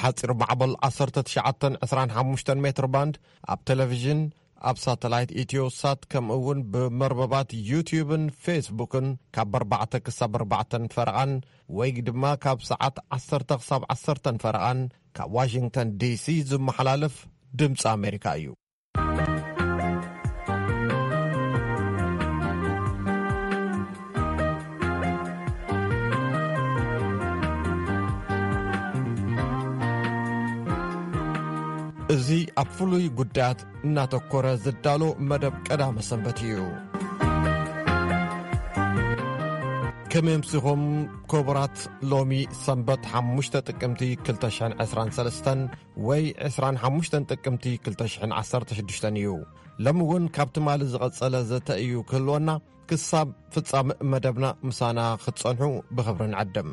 ሓጺር ማዕበል ዓሰርተ ትሽዓተ ዕስራን ሓሙሽተን ሜትር ባንድ፣ ኣብ ቴሌቪዥን፣ ኣብ ሳተላይት ኢትዮሳት፣ ከምኡ እውን ብመርበባት ዩቲዩብን ፌስቡክን ካብ ኣርባዕተ ክሳብ ኣርባዕተን ፈረቓን ወይ ድማ ካብ ሰዓት ዓሰርተ ክሳብ ዓሰርተን ፈረቓን ካብ ዋሽንግተን ዲሲ ዝመሓላለፍ ድምፂ ኣሜሪካ እዩ። እዚ ኣብ ፍሉይ ጉዳያት እናተኮረ ዝዳሎ መደብ ቀዳመ ሰንበት እዩ። ከመይ ኣምሲኹም ክቡራት? ሎሚ ሰንበት ሓሙሽተ ጥቅምቲ ክልተ ሽሕን ዕስራን ሰለስተን ወይ ዕስራን ሓሙሽተን ጥቅምቲ ክልተ ሽሕን ዓሰርተ ሽዱሽተን እዩ። ሎሚ እውን ካብ ትማሊ ዝቐጸለ ዘተ እዩ ክህልወና። ክሳብ ፍጻመ መደብና ምሳና ክትጸንሑ ብኽብሪ ንዕድም።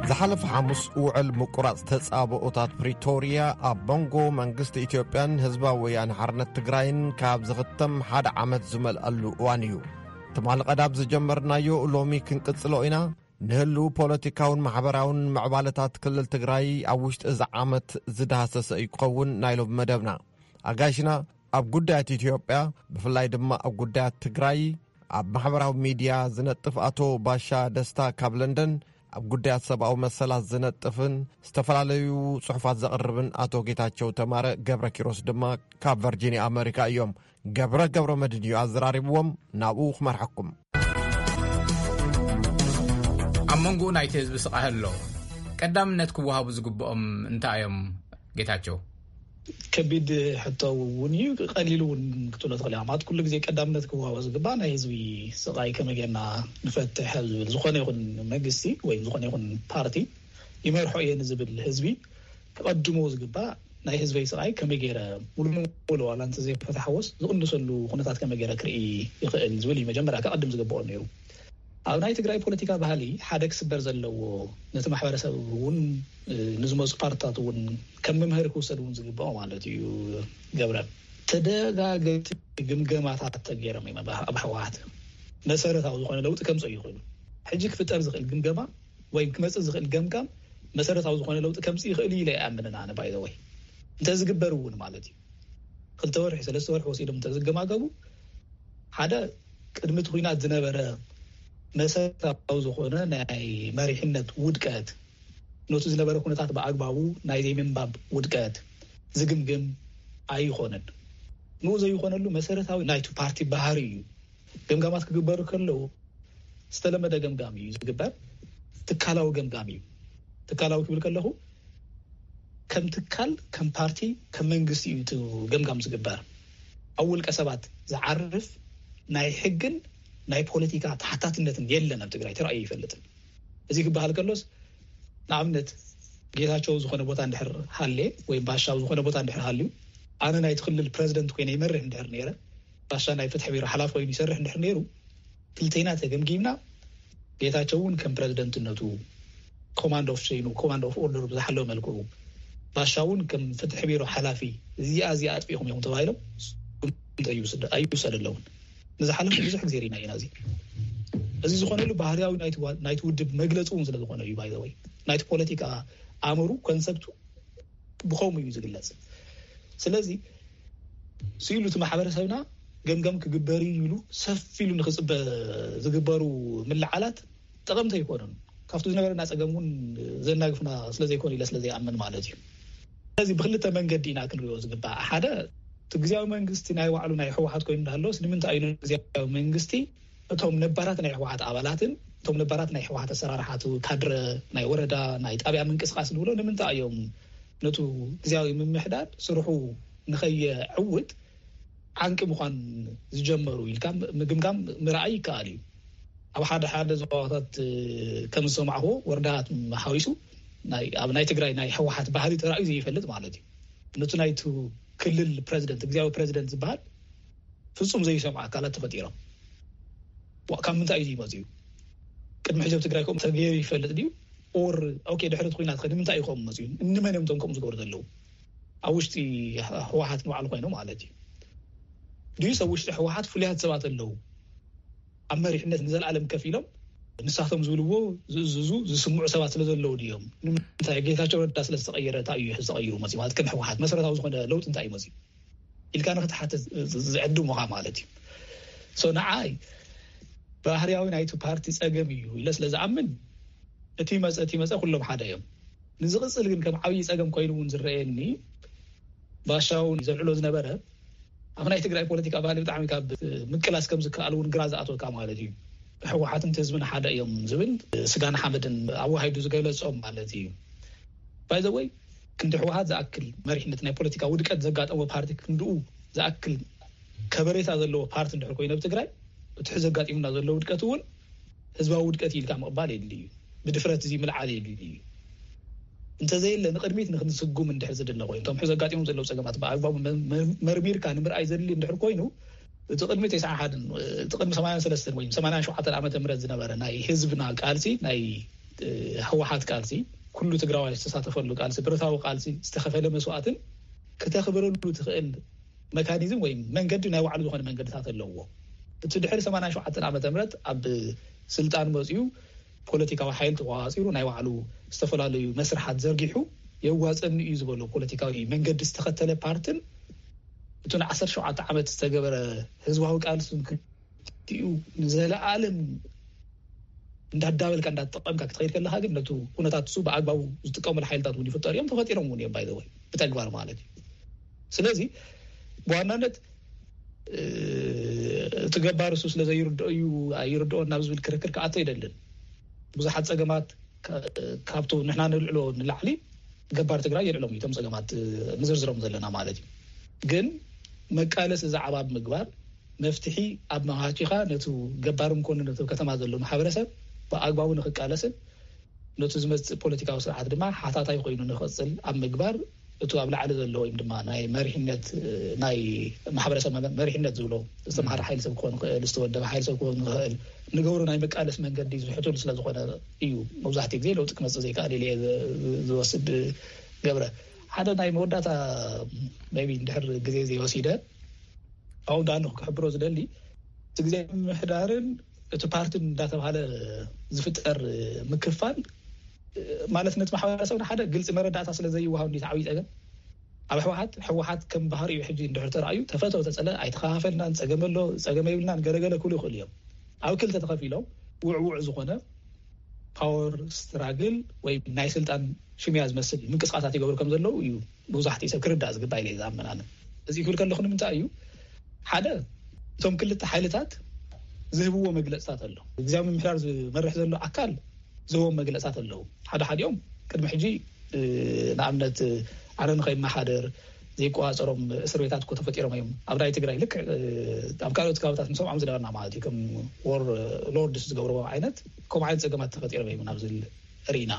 ዝሓለፈ ሓሙስ ውዕል ምቁራጽ ተጻብኦታት ፕሪቶርያ ኣብ መንጎ መንግስቲ ኢትዮጵያን ህዝባዊ ወያነ ሓርነት ትግራይን ካብ ዝኽተም ሓደ ዓመት ዝመልኣሉ እዋን እዩ። ትማሊ ቀዳም ዝጀመርናዮ ሎሚ ክንቅጽሎ ኢና። ንህልው ፖለቲካውን ማሕበራውን ምዕባለታት ክልል ትግራይ ኣብ ውሽጢ እዚ ዓመት ዝዳህሰሰ እዩ ክኸውን ናይ ሎሚ መደብና። ኣጋይሽና ኣብ ጉዳያት ኢትዮጵያ፣ ብፍላይ ድማ ኣብ ጉዳያት ትግራይ ኣብ ማሕበራዊ ሚድያ ዝነጥፍ ኣቶ ባሻ ደስታ ካብ ለንደን፣ ኣብ ጉዳያት ሰብኣዊ መሰላት ዝነጥፍን ዝተፈላለዩ ጽሑፋት ዘቕርብን ኣቶ ጌታቸው ተማረ ገብረ ኪሮስ ድማ ካብ ቨርጂኒያ ኣመሪካ እዮም። ገብረ ገብረ መድን እዩ ኣዘራሪብዎም። ናብኡ ክመርሐኩም። ኣብ መንጎኡ ናይቲ ህዝቢ ስቓይ ኣሎ። ቀዳምነት ክወሃቡ ዝግብኦም እንታይ እዮም ጌታቸው? ከቢድ ሕቶ እውን እዩ፣ ቀሊል እውን ክትብሎ ትኽእል ኢኻ። ማለት ኩሉ ግዜ ቀዳምነት ክወሃቦ ዝግባእ ናይ ህዝቢ ስቓይ ከመይ ጌርና ንፈትሕ ኣብ ዝብል፣ ዝኾነ ይኹን መንግስቲ ወይ ዝኾነ ይኹን ፓርቲ ይመርሖ እየ ንዝብል ህዝቢ ክቐድሞ ዝግባእ ናይ ህዝበይ ስቓይ ከመይ ገይረ ሙሉ ንሙሉ ዋላ እንተዘይፈታሕዎስ ዝቕንሰሉ ኩነታት ከመይ ገይረ ክርኢ ይኽእል ዝብል እዩ መጀመርያ ክቐድም ዝግብኦ ነይሩ። ኣብ ናይ ትግራይ ፖለቲካ ባህሊ ሓደ ክስበር ዘለዎ፣ ነቲ ማሕበረሰብ እውን፣ እ፣ ንዝመፁ ፓርትታት እውን ከም መምሃሪ ክውሰድ እውን ዝግብኦ ማለት እዩ። ገብረ፣ ተደጋገምቲ ግምገማታት ተገይሮም እዮም ኣብ፣ ኣብ ህወሓት መሰረታዊ ዝኾነ ለውጢ ከምፅኡ ይኽእሉ። ሕጂ ክፍጠር ዝኽእል ግምገማ ወይ ክመፅእ ዝኽእል ገምጋም መሰረታዊ ዝኾነ ለውጢ ከምፅእ ይኽእል እዩ ኢለ ይኣምንን ኣነ። ባይ ዘ ወይ እንተዝግበር እውን ማለት እዩ፣ ክልተ ወርሒ ሰለስተ ወርሒ ወሲዶም እንተዝገማገቡ፣ ሓደ ቅድሚ እቲ ኩናት ዝነበረ መሰረታዊ ዝኾነ ናይ መሪሕነት ውድቀት፣ ነቲ ዝነበረ ኩነታት ብኣግባቡ ናይ ዘይምንባብ ውድቀት ዝግምግም ኣይኾነን። ንኡ ዘይኾነሉ መሰረታዊ ናይቲ ፓርቲ ባህሪ እዩ። ገምጋማት ክግበሩ ከለዉ ዝተለመደ ገምጋም እዩ ዝግበር። ትካላዊ ገምጋም እዩ። ትካላዊ ክብል ከለኹ ከም ትካል፣ ከም ፓርቲ፣ ከም መንግስቲ እዩ እቲ ገምጋም ዝግበር። ኣብ ውልቀ ሰባት ዝዓርፍ ናይ ሕግን ናይ ፖለቲካ ተሓታትነትን የለን ኣብ ትግራይ፣ ተራእዩ ኣይፈልጥን። እዚ ክበሃል ከሎስ ንኣብነት ጌታቸው ዝኾነ ቦታ እንድሕር ሃልየ ወይ ባሻ ኣብ ዝኾነ ቦታ እንድሕር ሃልዩ፣ ኣነ ናይቲ ክልል ፕረዚደንት ኮይነ ይመርሕ እንድሕር ነይረ፣ ባሻ ናይ ፍትሒ ቢሮ ሓላፊ ኮይኑ ይሰርሕ እንድሕር ነይሩ፣ ክልተይና ተገምጊምና ጌታቸው እውን ከም ፕረዚደንትነቱ ኮማንድ ኦፍ ሸይኑ ኮማንድ ኦፍ ኦርደሩ ብዝሓለወ መልክዑ፣ ባሻ እውን ከም ፍትሒ ቢሮ ሓላፊ እዚኣ እዚኣ ኣጥፊእኹም ኢኹም ተባሂሎም ኣይውሰደለውን። ንዝሓለፉ ብዙሕ ግዜ ርኢና ኢና። እዚ እዚ ዝኾነሉ ባህርያዊ ናይቲ ዋ- ናይቲ ውድብ መግለፂ እውን ስለ ዝኾነ እዩ። ባይ ዘ ወይ ናይቲ ፖለቲካ ኣእምሩ ኮንሰፕቱ ብኸምኡ እዩ ዝግለጽ። ስለዚ ስኢሉ እቲ ማሕበረሰብና ገምገም ክግበር እዩ ኢሉ ሰፍ ኢሉ ንክፅበ ዝግበሩ ምልዓላት ጠቐምቲ ኣይኮኑን። ካብቲ ዝነበረና ፀገም እውን ዘናግፍና ስለዘይኮኑ ኢለ ስለዘይኣምን ማለት እዩ። ስለዚ ብክልተ መንገዲ ኢና ክንሪኦ ዝግባእ። ሓደ እቲ ግዜያዊ መንግስቲ ናይ ባዕሉ ናይ ህወሓት ኮይኑ እንዳሃለወስ ንምንታይ እዩ ግዜያዊ መንግስቲ እቶም ነባራት ናይ ህወሓት ኣባላትን እቶም ነባራት ናይ ህወሓት ኣሰራርሓቱ ካድረ ናይ ወረዳ ናይ ጣብያ ምንቅስቃስ ንብሎ ንምንታይ እዮም ነቱ ግዜያዊ ምምሕዳር ስርሑ ንኸየዕውት ዓንቂ ምዃን ዝጀመሩ ኢልካ ምግምጋም ምርኣይ ይከኣል እዩ። ኣብ ሓደ ሓደ ዞባታት ከም ዝሰማዕዎ ወረዳታት ሓዊሱ ናይ ኣብ ናይ ትግራይ ናይ ህወሓት ባህሪ ተራእዩ ዘይፈልጥ ማለት እዩ። ነቱ ናይቱ ክልል ፕረዚደንት ግዜያዊ ፕረዚደንት ዝበሃል ፍጹም ዘይሰምዑ ኣካላት ተፈጢሮም። ካብ ምንታይ እዩ ዝመፅኡ? ቅድሚ ሕጂ ኣብ ትግራይ ከምኡ ተገይሩ ይፈልጥ ድዩ? ኦር ኦኬ ድሕሪ እቲ ኩናት ከ ንምንታይ እዩ ከምኡ መፅኡ? እንመን እዮም እቶም ከምኡ ዝገብሩ ዘለዉ? ኣብ ውሽጢ ህወሓት ንባዕሉ ኮይኖም ማለት እዩ ድዩ? ሰብ ውሽጢ ህወሓት ፍሉያት ሰባት ኣለዉ። ኣብ መሪሕነት ንዘለኣለም ከፍ ኢሎም ንሳቶም ዝብልዎ ዝእዝዙ ዝስምዑ ሰባት ስለ ዘለዉ ድዮም? ንምንታይ ጌታቸው ረዳ ስለ ዝተቐየረ እንታይ እዩ ተቐይሩ መፂኡ? ማለት ከም ህወሓት መሰረታዊ ዝኾነ ለውጢ እንታይ እዩ መፂኡ ኢልካ ንክትሓትት ዝዕድሙኻ ማለት እዩ። So ንዓይ ባህርያዊ ናይቲ ፓርቲ ጸገም እዩ ኢለ ስለ ዝኣምን እቲ መጸ እቲ መጸ ኩሎም ሓደ እዮም። ንዝቕጽል ግን ከም ዓብዪ ጸገም ኮይኑ እውን ዝረኣየኒ ባሻውን ዘልዕሎ ዝነበረ ኣብ ናይ ትግራይ ፖለቲካ ባህሊ ብጣዕሚ ካብ ምቅላስ ከም ዝከኣል እውን ግራ ዝኣትወካ ማለት እዩ። ህወሓትን ህዝብን ሓደ እዮም ዝብል ስጋን ሓመድን ኣወሃይዱ ዝገለጾም ማለት እዩ። By the way ክንዲ ህወሓት ዝኣክል መሪሕነት ናይ ፖለቲካ ውድቀት ዘጋጠሞ ፓርቲ ክንድኡ ዝኣክል ከበሬታ ዘለዎ ፓርቲ እንድሕር ኮይኑ ኣብ ትግራይ እቲ ሕዚ ኣጋጢሙና ዘሎ ውድቀት እውን ህዝባዊ ውድቀት ኢልካ ምቕባል የድሊ እዩ። ብድፍረት እዚ ምልዓል የድሊ እዩ። እንተዘየለ ንቕድሚት ንክንስጉም እንድሕር ዝድለ ኮይኑ እቶም ሕዚ ኣጋጢሞም ዘለዉ ጸገማት ብኣግባቡ መ- መ- መርሚርካ ንምርኣይ ዘድሊ እንድሕር ኮይኑ እቲ ቅድሚ ተስዓ ሓደን እቲ ቅድሚ ሰማንያን ሰለስተን ወይ ሰማንያን ሸውዓተን ዓመተ ምህረት ዝነበረ ናይ ህዝብና ቃልሲ ናይ ህወሓት ቃልሲ ኩሉ ትግራዋይ ዝተሳተፈሉ ቃልሲ ብረታዊ ቃልሲ ዝተኸፈለ መስዋእትን ክተኽብረሉ ትኽእል መካኒዝም ወይ መንገዲ ናይ ባዕሉ ዝኾነ መንገድታት ኣለዎ። እቲ ድሕሪ ሰማንያን ሸውዓተን ዓመተ ምህረት ኣብ ስልጣን መፅኡ ፖለቲካዊ ሓይል ተቋፂሩ ናይ ባዕሉ ዝተፈላለዩ መስርሓት ዘርጊሑ የዋፀኒ እዩ ዝበሎ ፖለቲካዊ መንገዲ ዝተኸተለ ፓርትን እቱ ንዓሰርተ ሸውዓተ ዓመት ዝተገበረ ህዝባዊ ቃልስን ክልቲኡ ንዘለኣለም እንዳዳበልካ እንዳተጠቀምካ ክትኸይድ ከለካ ግን ነቱ ኩነታት እሱ ብኣግባቡ ዝጥቀሙሉ ሓይልታት እውን ይፍጠሩ እዮም ተፈጢሮም እውን እዮም ባይዘወይ ብተግባር ማለት እዩ። ስለዚ ብዋናነት እቲ ገባር እሱ ስለ ዘይርድኦ እዩ ኣይርድኦን ናብ ዝብል ክርክር ክኣቶ ኣይደልን። ብዙሓት ፀገማት ካብቱ ንሕና ንልዕሎ ንላዕሊ ገባር ትግራይ የልዕሎም እቶም ፀገማት ንዝርዝሮም ዘለና ማለት እዩ። ግን መቃለሲ ዛዕባ ብምግባር መፍትሒ ኣብ መሃቲኻ ነቱ ገባርም ኮኑ ነቱ ከተማ ዘሎ ማሕበረሰብ ብኣግባቡ ንክቃለስን ነቱ ዝመፅእ ፖለቲካዊ ስርዓት ድማ ሓታታይ ኮይኑ ንክቕፅል ኣብ ምግባር እቱ ኣብ ላዕሊ ዘሎ ወይም ድማ ናይ መሪሕነት ናይ ማሕበረሰብ መሪሕነት ዝብሎ ዝተምሃረ ሓይል ሰብ ክኾን ይኽእል ዝተወደበ ሓይል ሰብ ክኾን ይኽእል ንገብሮ ናይ መቃለስ መንገዲ ዝሕቱል ስለዝኾነ እዩ። መብዛሕትኡ ግዜ ለውጢ ክመፅእ ዘይከኣል ኢለ ዝወስድ ገብረ ሓደ ናይ መወዳእታ ቢ እንድሕር ግዜ ዘይወሲደ ኣው ዳኑ ክሕብሮ ዝደሊ እቲ ግዜ ምምሕዳርን እቲ ፓርትን እንዳተባሃለ ዝፍጠር ምክፋል ማለት ነቲ ማሕበረሰብ ንሓደ ግልፂ መረዳእታ ስለ ዘይወሃብ እንዲ ዓብዪ ፀገም ኣብ ህወሓት ህወሓት ከም ባህሪኡ ሕጂ እንድሕር ተረኣዩ ተፈተው ተፀለ ኣይተኸፋፈልናን ፀገም ኣሎ ፀገም የብልናን ገለገለ ክብሉ ይኽእሉ እዮም። ኣብ ክልተ ተኸፊሎም ውዕውዕ ዝኾነ ፓወር ስትራግል ወይ ናይ ስልጣን ሽሚያ ዝመስል ምንቅስቃሳት ይገብሩ ከም ዘለዉ እዩ ብዙሕቲ ሰብ ክርዳእ ዝግባእ ኢለ ዝኣምን ኣነ። እዚ ክብል ከለኹ ንምንታይ እዩ ሓደ እቶም ክልተ ሓይልታት ዝህብዎ መግለፅታት ኣሎ። ግዜያዊ ምምሕዳር ዝመርሕ ዘሎ ኣካል ዝህቦም መግለፅታት ኣለዉ። ሓደ ሓዲኦም ቅድሚ ሕጂ ንኣብነት ኣነ ንኸይመሓደር ዘይቆፃፀሮም እስር ቤታት እኮ ተፈጢሮም እዮም ኣብ ናይ ትግራይ ልክዕ ኣብ ካልኦት ከባብታት ንሰምዖም ዝነበርና ማለት እዩ ከም ወር ሎርድስ ዝገብርዎ ዓይነት ከምኡ ዓይነት ፀገማት ተፈጢሮም እዮም ናብ ዝብል ርኢና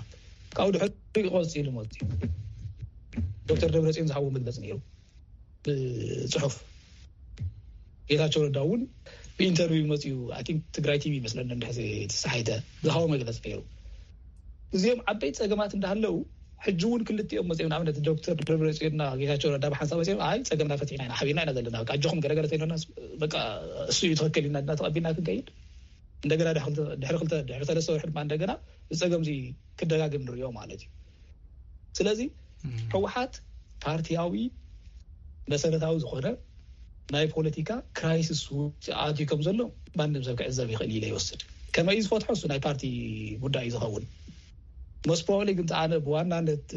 ካብኡ ድሕሪ ቀፂሉ መፅኡ ዶክተር ደብረፅዮን ዝሃብዎ መግለፂ ነይሩ ብፅሑፍ ጌታቸው ረዳ እውን ብኢንተርቪው መፅኡ ቲንክ ትግራይ ቲቪ ይመስለኒ እንድሕር ተሳሒተ ዝሃቦ መግለፂ ነይሩ። እዚኦም ዓበይቲ ፀገማት እንዳሃለው ሕጂ እውን ክልቲኦም መፅኦም ንኣብነት ዶክተር ደብረፅዮንና ጌታቸው ረዳ ብሓንሳብ መፅኦም ኣይ ፀገምና ፈቲሕና ኢና ሓቢርና ኢና ዘለና በቃ ኣጆኹም ገለገለ ተይሎና በቃ እሱ እዩ ትኽክል ኢልና ድማ ተቐቢልና ክንከይድ እንደገና ድሕሪ ክልተ ድሕሪ ሰለስተ ወርሒ ድማ እንደገና እዚ ፀገም እዚ ክደጋግም ንሪኦ ማለት እዩ። ስለዚ ህወሓት ፓርቲያዊ መሰረታዊ ዝኾነ ናይ ፖለቲካ ክራይሲስ ውፅእ ኣትዩ ከም ዘሎ ማንም ሰብ ክዕዘብ ይኽእል ኢለ ይወስድ። ከመይ ዝፈትሖ እሱ ናይ ፓርቲ ጉዳይ እዩ ዝኸውን። ሞስት ፕሮባብሊ ግን ኣነ ብዋናነት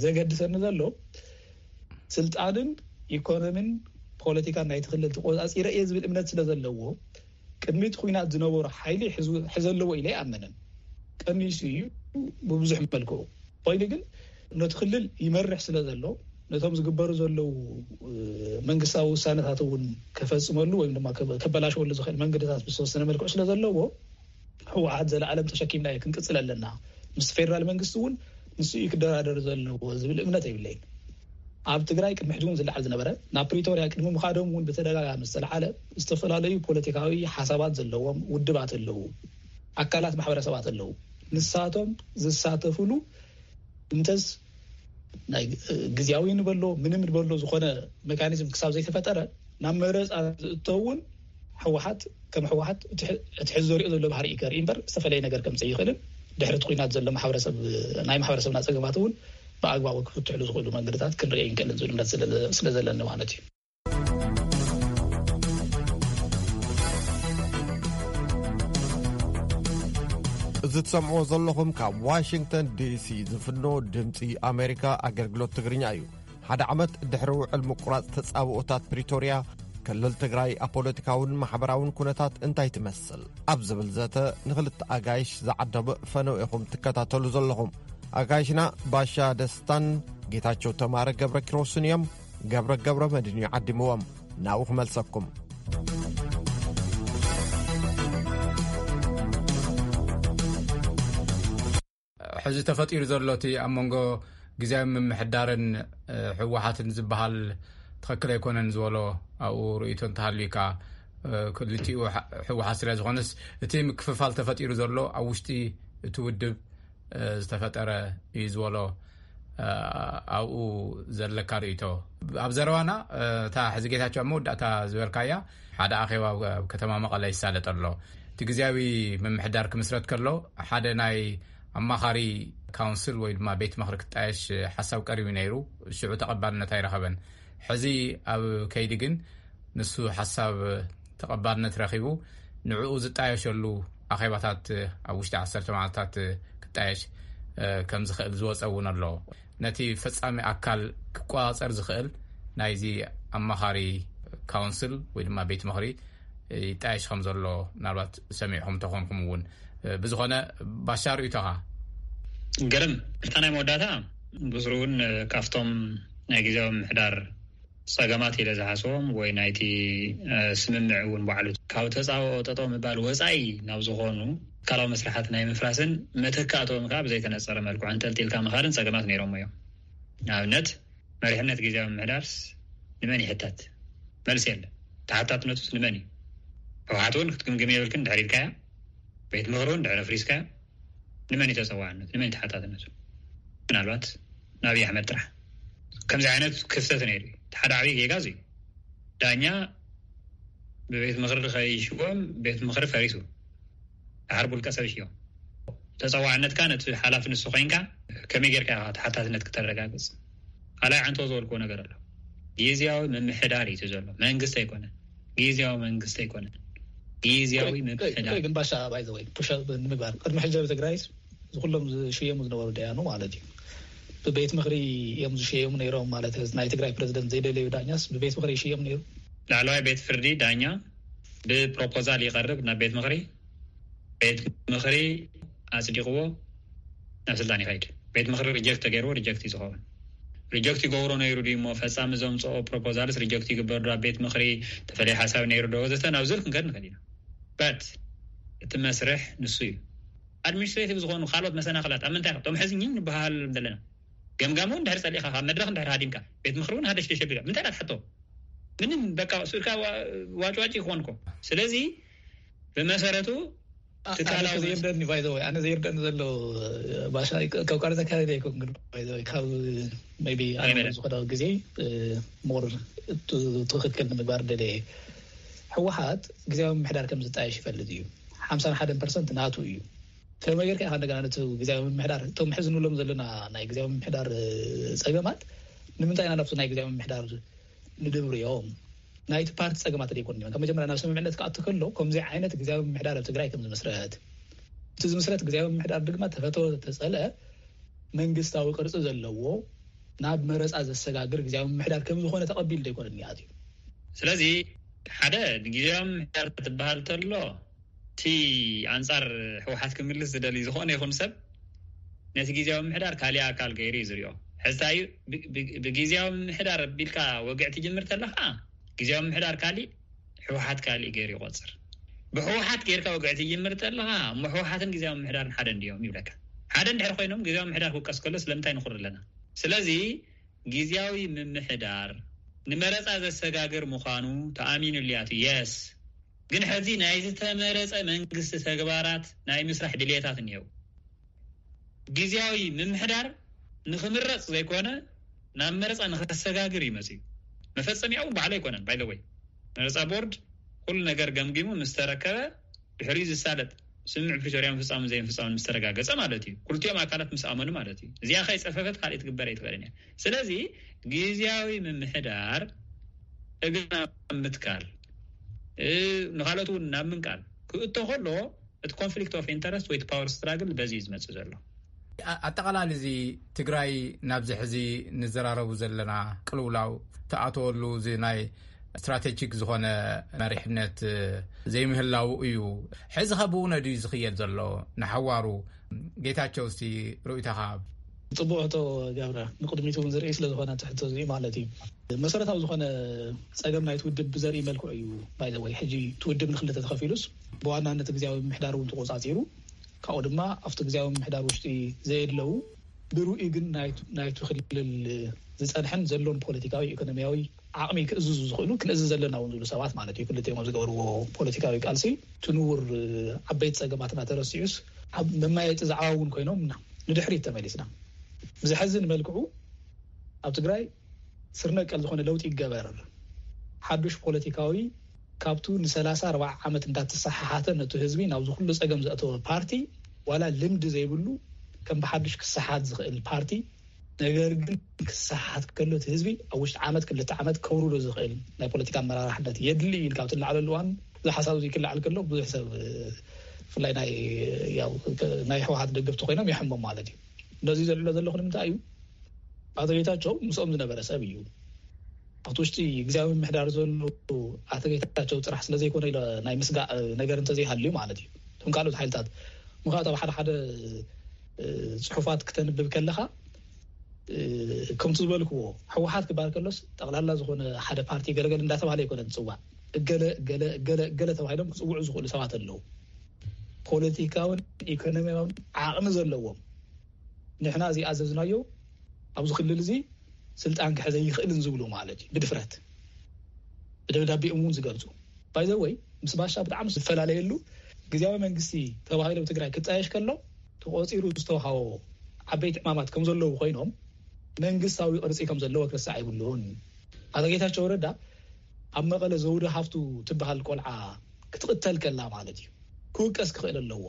ዘገድሰኒ ዘሎ ስልጣንን ኢኮኖሚን ፖለቲካን ናይቲ ክልል ተቆፃፂረ እየ ዝብል እምነት ስለ ዘለዎ ቅድሚ እቲ ኲናት ዝነበሮ ሓይሊ ሕዘ ኣለዎ ኢለ ኣይኣምንን። ቀኒሱ እዩ ብብዙሕ መልክዑ ኮይኑ ግን ነቲ ክልል ይመርሕ ስለ ዘሎ ነቶም ዝግበሩ ዘለዉ መንግስታዊ ውሳነታት እውን ከፈፅመሉ ወይም ድማ ከበላሸወሉ ዝኽእል መንገድታት ብዝተወሰነ መልክዑ ስለ ዘለዎ ህወሓት ዘለኣለም ተሸኪምናዮ ክንቅፅል ኣለና ምስ ፌደራል መንግስቲ እውን ንሱ እዩ ክደራደር ዘለዎ ዝብል እምነት የብለይን። ኣብ ትግራይ ቅድሚ ሕጂ እውን ዝለዓል ዝነበረ ናብ ፕሪቶርያ ቅድሚ ምኻዶም እውን ብተደጋጋሚ ዝተለዓለ ዝተፈላለዩ ፖለቲካዊ ሓሳባት ዘለዎም ውድባት ኣለዉ፣ ኣካላት ማሕበረሰባት ኣለዉ። ንሳቶም ዝሳተፍሉ እንተስ ናይ ግዝያዊ ንበሎ ምንም ንበሎ ዝኾነ ሜካኒዝም ክሳብ ዘይተፈጠረ ናብ መረፃ ዝእተውን ህወሓት ከም ህወሓት እቲ ሕ- እቲ ሕዚ ዘሪኦ ዘሎ ባህሪ እዩ ከርኢ እምበር ዝተፈለየ ነገር ከምፅእ ይኽእልን ድሕሪ እቲ ኩናት ዘሎ ማሕበረሰብ ናይ ማሕበረሰብና ፀገማት እውን ብኣግባቡ ክፍትሕሉ ዝኽእሉ መንገድታት ክንርኢ ይንክእልን ዝብል እምነት ስለ- ስለ ዘለኒ ማለት እዩ። እዚ ትሰምዕዎ ዘለኹም ካብ ዋሽንግተን ዲሲ ዝፍኖ ድምፂ ኣሜሪካ ኣገልግሎት ትግርኛ እዩ። ሓደ ዓመት ድሕሪ ውዕል ምቁራፅ ተፃብኦታት ፕሪቶርያ ክልል ትግራይ ኣብ ፖለቲካውን ማሕበራውን ኩነታት እንታይ ትመስል ኣብ ዝብል ዘተ ንክልተ ኣጋይሽ ዝዓደመ ፈነው ኢኹም ትከታተሉ ዘለኹም። ኣጋይሽና ባሻ ደስታን ጌታቸው ተማረ ገብረ ኪሮስን እዮም። ገብረ ገብረ መድን እዩ ዓዲምዎም። ናብኡ ክመልሰኩም። ሕዚ ተፈጢሩ ዘሎ እቲ ኣብ መንጎ ግዜያዊ ምምሕዳርን ህወሓትን ዝበሃል ትኽክል ኣይኮነን ዝበሎ ኣብኡ ርእይቶ እንተሃልዩ ከኣ ክልቲኡ ህወሓት ስለ ዝኾነስ እቲ ምክፍፋል ተፈጢሩ ዘሎ ኣብ ውሽጢ እቲ ውድብ ዝተፈጠረ እዩ ዝበሎ ኣብኡ ዘለካ ርእይቶ። ኣብ ዘረባና እታ ሕዚ ጌታቸው ኣብ መወዳእታ ዝበልካያ ሓደ ኣኼባ ኣብ ከተማ መቐለ ይሳለጥ ኣሎ። እቲ ግዜያዊ ምምሕዳር ክምስረት ከሎ ሓደ ናይ ኣማኻሪ ካውንስል ወይ ድማ ቤት ምኽሪ ክጣየሽ ሓሳብ ቀሪቡ ነይሩ። ሽዑ ተቐባልነት ኣይረኸበን። ሕዚ ኣብ ከይዲ ግን ንሱ ሓሳብ ተቐባልነት ረኺቡ ንዕኡ ዝጣየሸሉ ኣኼባታት ኣብ ውሽጢ ዓሰርተ መዓልታት ክጣየሽ ከም ዝኽእል ዝወፀ እውን ኣሎ። ነቲ ፈፃሚ ኣካል ክቆፃፀር ዝኽእል ናይዚ ኣማኻሪ ካውንስል ወይ ድማ ቤት ምኽሪ ይጣየሽ ከም ዘሎ ምናልባት ሰሚዕኹም ተኾንኩም እውን። ብዝኾነ ባሻ ርእይቶኻ? ገርም እታ ናይ መወዳእታ ብስሩ እውን ካብቶም ናይ ግዜያዊ ምምሕዳር ፀገማት ኢለ ዝሓስቦም ወይ ናይቲ ስምምዕ እውን ባዕሉ ካብ ተፃብኦ ጠጠው ምባል ወፃኢ ናብ ዝኾኑ ትካላዊ መስርሓት ናይ ምፍራስን መተካእትኦም ከዓ ብዘይተነፀረ መልክዑ ኣንጠልጢልካ ምኻድን ፀገማት ነይሮም እዮም። ንኣብነት መሪሕነት ግዜያዊ ምምሕዳርስ ንመን ይሕተት? መልሲ የለን። ተሓታትነቱስ ንመን እዩ? ህወሓት እውን ክትግምግም የብልክን ድሕር ኢልካያ፣ ቤት ምኽሪ እውን ድሕር ኣፍሪስካያ ንመን እዩ ተፀዋዕነቱ? ንመን እዩ ተሓታትነቱ? ምናልባት ንኣብይ ኣሕመድ ጥራሕ። ከምዚ ዓይነት ክፍተት ነይሩ እዩ። እቲ ሓደ ዓብዪ ጌጋ እዚ እዩ። ዳኛ ብቤት ምኽሪ ከይሽዎም ቤት ምኽሪ ፈሪሱ። ድሓር ብውልቀ ሰብ ይሽዮም። ተፀዋዕነትካ ነቲ ሓላፊ ንሱ ኮይንካ ከመይ ጌርካ ኢኻ ተሓታትነት ክተረጋግፅ? ካልኣይ ዓንቶ ዝበልክዎ ነገር ኣሎ። ግዝያዊ ምምሕዳር እዩ እቲ ዘሎ፣ መንግስቲ ኣይኮነን። ግዝያዊ መንግስቲ ኣይኮነን፣ ግዝያዊ ምምሕዳር። ግን ባሻ ባይዘወይ ፑሽ ንምግባር ቅድሚ ሕጂ ኣብ ትግራይስ ዝኩሎም ዝሽየሙ ዝነበሩ ደያኑ ማለት እዩ ብቤት ምኽሪ እዮም ዝሽየሙ ነይሮም ማለት እዩ። ናይ ትግራይ ፕረዚደንት ዘይደለዩ ዳኛስ ብቤት ምኽሪ ይሽየም ነይሩ። ላዕለዋይ ቤት ፍርዲ ዳኛ ብፕሮፖዛል ይቐርብ ናብ ቤት ምኽሪ፣ ቤት ምኽሪ ኣፅዲቕዎ ናብ ስልጣን ይኸይድ። ቤት ምኽሪ ሪጀክት ተገይርዎ ሪጀክት እዩ ዝኸውን። ሪጀክት ይገብሮ ነይሩ ድዩ እሞ ፈፃሚ ዘምፅኦ ፕሮፖዛልስ ሪጀክት ይግበር ዶ ኣብ ቤት ምኽሪ ተፈለየ ሓሳብ ነይሩ ዶ ወዘተ ናብ ዝብል ክንከድ ንኽእል ኢና። በት እቲ መስርሕ ንሱ እዩ። ኣድሚኒስትሬቲቭ ዝኾኑ ካልኦት መሰናኽላት ኣብ ምንታይ ቶም ሕዚ ኝን ንበሃል ዘለና ገምጋም እውን ድሕር ፀሊእካ ካብ መድረክ እንድሕር ሃዲምካ ቤት ምኽሪ እውን ሃደሽደሽ ኣቢልካ ምንታይ ኢና ትሓቶ? ምንም በቃ ስኡልካ ዋጭዋጭ ይኾን እኮ። ስለዚ ብመሰረቱ ትካላዊ ዘይርደኒ ባይዘወይ ኣነ ዘይርደኒ ዘሎ ባሻ ካብ ቃል ተካለ ይኮን ግን ባይዘወይ ካብ ቢ ኣነ ዝኾነ ግዜ ሞር ትኽክል ንምግባር ደለ ህወሓት ግዜያዊ ምምሕዳር ከም ዝጣየሽ ይፈልጥ እዩ። ሓምሳን ሓደን ፐርሰንት ናቱ እዩ። ከመይ ጌርካ ኢኻ እንደገና ነቲ ግዜያዊ ምምሕዳር እቶም ሕዚ ንብሎም ዘለና ናይ ግዜያዊ ምምሕዳር ፀገማት ንምንታይ ኢና ናብቲ ናይ ግዜያዊ ምምሕዳር ንድብርዮም ናይቲ ፓርቲ ፀገማት ዘይኮኑ እዮም። ካብ መጀመርያ ናብ ስምምዕነት ክኣቱ ከሎ ከምዚ ዓይነት ግዜያዊ ምምሕዳር ኣብ ትግራይ ከም ዝምስረት እቲ ዝምስረት ግዜያዊ ምምሕዳር ድማ ተፈተወ ተፀልአ መንግስታዊ ቅርፂ ዘለዎ ናብ መረፃ ዘሰጋግር ግዜያዊ ምምሕዳር ከም ዝኾነ ተቐቢሉ ዘይኮነ እኒኣት እዩ። ስለዚ ሓደ ንግዜያዊ ምምሕዳር ትበሃል ተሎ እቲ ኣንፃር ህወሓት ክምልስ ዝደሊ ዝኾነ ይኹን ሰብ ነቲ ግዜያዊ ምምሕዳር ካሊእ ኣካል ገይሩ እዩ ዝሪኦ። ሕዝታ እዩ ብግዜያዊ ምምሕዳር ቢልካ ወግዕ ትጅምር ተለካ ግዜያዊ ምምሕዳር ካሊእ ህወሓት ካሊእ ገይሩ ይቆፅር። ብህወሓት ጌርካ ወግዕ ትጅምር ተለካ እሞ ህወሓትን ግዜያዊ ምምሕዳርን ሓደ እንድዮም ይብለካ። ሓደ እንድሕር ኮይኖም ግዜያዊ ምምሕዳር ክውቀስ ከሎ ስለምንታይ ንኹር ኣለና? ስለዚ ግዜያዊ ምምሕዳር ንመረፃ ዘሰጋግር ምዃኑ ተኣሚኑሉ እያ። የስ ግን ሕዚ ናይ ዝተመረፀ መንግስቲ ተግባራት ናይ ምስራሕ ድልየታት እኒሀው። ግዜያዊ ምምሕዳር ንክምረፅ ዘይኮነ ናብ መረፃ ንከሰጋግር እዩ መፅዩ። መፈፀሚያኡ ባዕሉ ኣይኮነን። ባይዘወይ መረፃ ቦርድ ኩሉ ነገር ገምጊሙ ምስ ተረከበ፣ ድሕሪኡ ዝሳለጥ ስምምዕ ፕሪቶርያ ምፍጻምን ዘይምፍጻምን ምስ ተረጋገጸ ማለት እዩ። ክልቲኦም ኣካላት ምስ ኣመኑ ማለት እዩ። እዚኣ ከይጸፈፈት ካልእ ትግበር ኣይትኽእልን እያ። ስለዚ ግዝያዊ ምምሕዳር እግርና ምትካል፣ እ፣ ንኻልኦት እውን ናብ ምንቃል ክእቶ ከሎ፣ እቲ ኮንፍሊክት ኦፍ ኢንተረስት ወይ ፓወር ስትራግል በዚ እዩ ዝመጽእ ዘሎ። ኣጠቓላሊ እዚ ትግራይ ናብዚ ሕዚ ንዘራረቡ ዘለና ቅልውላው ተኣተወሉ፣ እዚ ናይ ስትራቴጂክ ዝኾነ መሪሕነት ዘይምህላው እዩ። ሕዚ ከ ብእውነ ድዩ ዝኽየድ ዘሎ ንሓዋሩ? ጌታቸው፣ እስቲ ርእይቶኻ ሃብ። ጽቡቕ ሕቶ ገብረ፣ ንቕድሚት እውን ዝርኢ ስለ ዝኾነ እቲ ሕቶ እዚ ማለት እዩ። መሰረታዊ ዝኾነ ጸገም ናይቲ ውድብ ብዘርኢ መልክዑ እዩ። ባይዘወይ ሕጂ እቲ ውድብ ንክልተ ተኸፊሉስ፣ ብዋናነት ግዝያዊ ምምሕዳር እውን ተቆጻጺሩ፣ ካብኡ ድማ ኣብቲ ግዝያዊ ምምሕዳር ውሽጢ ዘየድለዉ ብርኡይ ግን ናይ- ናይቲ ክልል ዝጸንሐን ዘሎን ፖለቲካዊ፣ ኢኮኖሚያዊ ዓቕሚ ክእዝዙ ዝኽእሉ፣ ክንእዝዝ ዘለና እውን ዝብሉ ሰባት ማለት እዩ። ክልቲኦም ኣብ ዝገበርዎ ፖለቲካዊ ቃልሲ፣ እቲ ንቡር ዓበይቲ ጸገማትና ተረሲዑስ፣ ኣብ መማየጢ ዛዕባ እውን ኮይኖም ኢና ንድሕሪት ተመሊስና። ብዘሕዝን መልክዑ፣ ኣብ ትግራይ ስር ነቀል ዝኾነ ለውጢ ይገበር፣ ሓዱሽ ፖለቲካዊ፣ ካብቱ ንሰላሳ ኣርባዓ ዓመት እንዳተሰሓሓተ ነቱ ህዝቢ ናብዚ ኩሉ ጸገም ዘእተወ ፓርቲ፣ ዋላ ልምዲ ዘይብሉ፣ ከም ብሓዱሽ ክሰሓት ዝኽእል ፓርቲ፣ ነገር ግን ክሰሓት ከሎ እቲ ህዝቢ ኣብ ውሽጢ ዓመት ክልተ ዓመት ከውርዶ ዝኽእል ናይ ፖለቲካ ኣመራርሓነት የድሊ እዩ። ካብቲ ንላዕለሉ እዋን እዚ ሓሳብ እዚ ክለዓል ከሎ ብዙሕ ሰብ፣ ብፍላይ ናይ ያው ናይ ህወሓት ደገፍቲ ኮይኖም ይሕሞም ማለት እዩ። ነዚ ዘልዕሎ ዘለኹ ንምንታይ እዩ? ኣቶ ጌታቸው ምስኦም ዝነበረ ሰብ እዩ። ኣብቲ ውሽጢ ግዝያዊ ምምሕዳር ዘሎ ኣቶ ጌታቸው ጥራሕ ስለ ዘይኮነ ኢለ ናይ ምስጋእ ነገር እንተዘይሃልዩ ማለት እዩ። እቶም ካልኦት ሓይልታት ምኽንያቱ ኣብ ሓደ ሓደ፣ እ፣ ጽሑፋት ክተንብብ ከለኻ፣ እ፣ ከምቲ ዝበልክዎ፣ ህወሓት ክበሃል ከሎስ ጠቕላላ ዝኾነ ሓደ ፓርቲ ገለገለ እንዳተባሃለ ኣይኮነን ዝጽዋዕ። እገለ እገለ እገለ እገለ ተባሂሎም ክጽውዑ ዝኽእሉ ሰባት ኣለዉ። ፖለቲካውን ኢኮኖሚያውን ዓቕሚ ዘለዎም፣ ንሕና እዚ ኣዘዝናዮ ኣብዚ ክልል እዚ ስልጣን ክሕዘ ይኽእልን ዝብሉ ማለት እዩ። ብድፍረት ብደብዳቤኦም እውን ዝገልጹ። ባይዘወይ ምስ ባሻ ብጣዕሚ ዝፈላለየሉ፣ ግዝያዊ መንግስቲ ተባሂሉ ኣብ ትግራይ ክጣየሽ ከሎ ተቆፂሩ ዝተውሃቦ ዓበይቲ ዕማማት ከም ዘለዉ ኮይኖም፣ መንግስታዊ ቅርፂ ከም ዘለዎ ክርሳዕ ኣይብሉን። ኣቶ ጌታቸው ረዳ ኣብ መቐለ ዘውዲ ሃፍቱ ትበሃል ቆልዓ ክትቕተል ከላ ማለት እዩ፣ ክውቀስ ክኽእል ኣለዎ።